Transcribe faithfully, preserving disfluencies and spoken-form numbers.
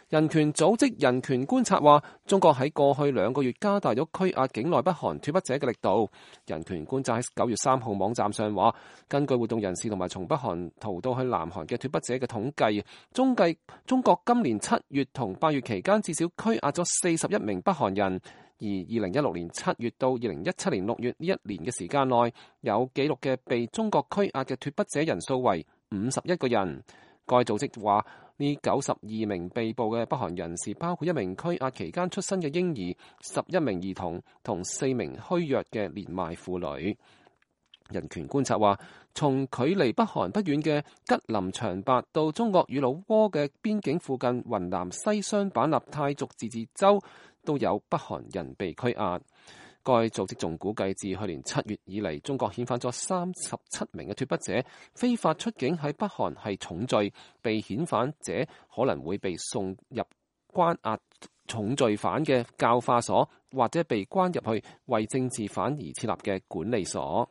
人權組織人權觀察話，中國喺過去兩個月加大咗拘押境內北韓脫北者嘅力度。人權觀察喺九月三號網站上話，根據活動人士同埋從北韓逃到去南韓嘅脫北者嘅統計，中計中國今年七月同八月期間至少拘押咗四十一名北韓人，而二零一六年七月到二零一七年六月呢一年嘅時間內，有記錄嘅被中國拘押嘅脫北者人數為五十一個人。該組織話，呢九十二名被捕嘅北韓人士包括一名拘押期間出生嘅嬰兒、十一名兒童同四名虛弱嘅年邁婦女。人權觀察話，從距離北韓不遠嘅吉林長白到中國與老撾嘅邊境附近雲南西雙版納泰族自治州都有北韓人被拘押。該組織仲估計，自去年七月以嚟，中國遣返咗三十七名嘅脫北者，非法出境喺北韓係重罪，被遣返者可能會被送入關押重罪犯嘅教化所，或者被關入去為政治犯而設立嘅管理所。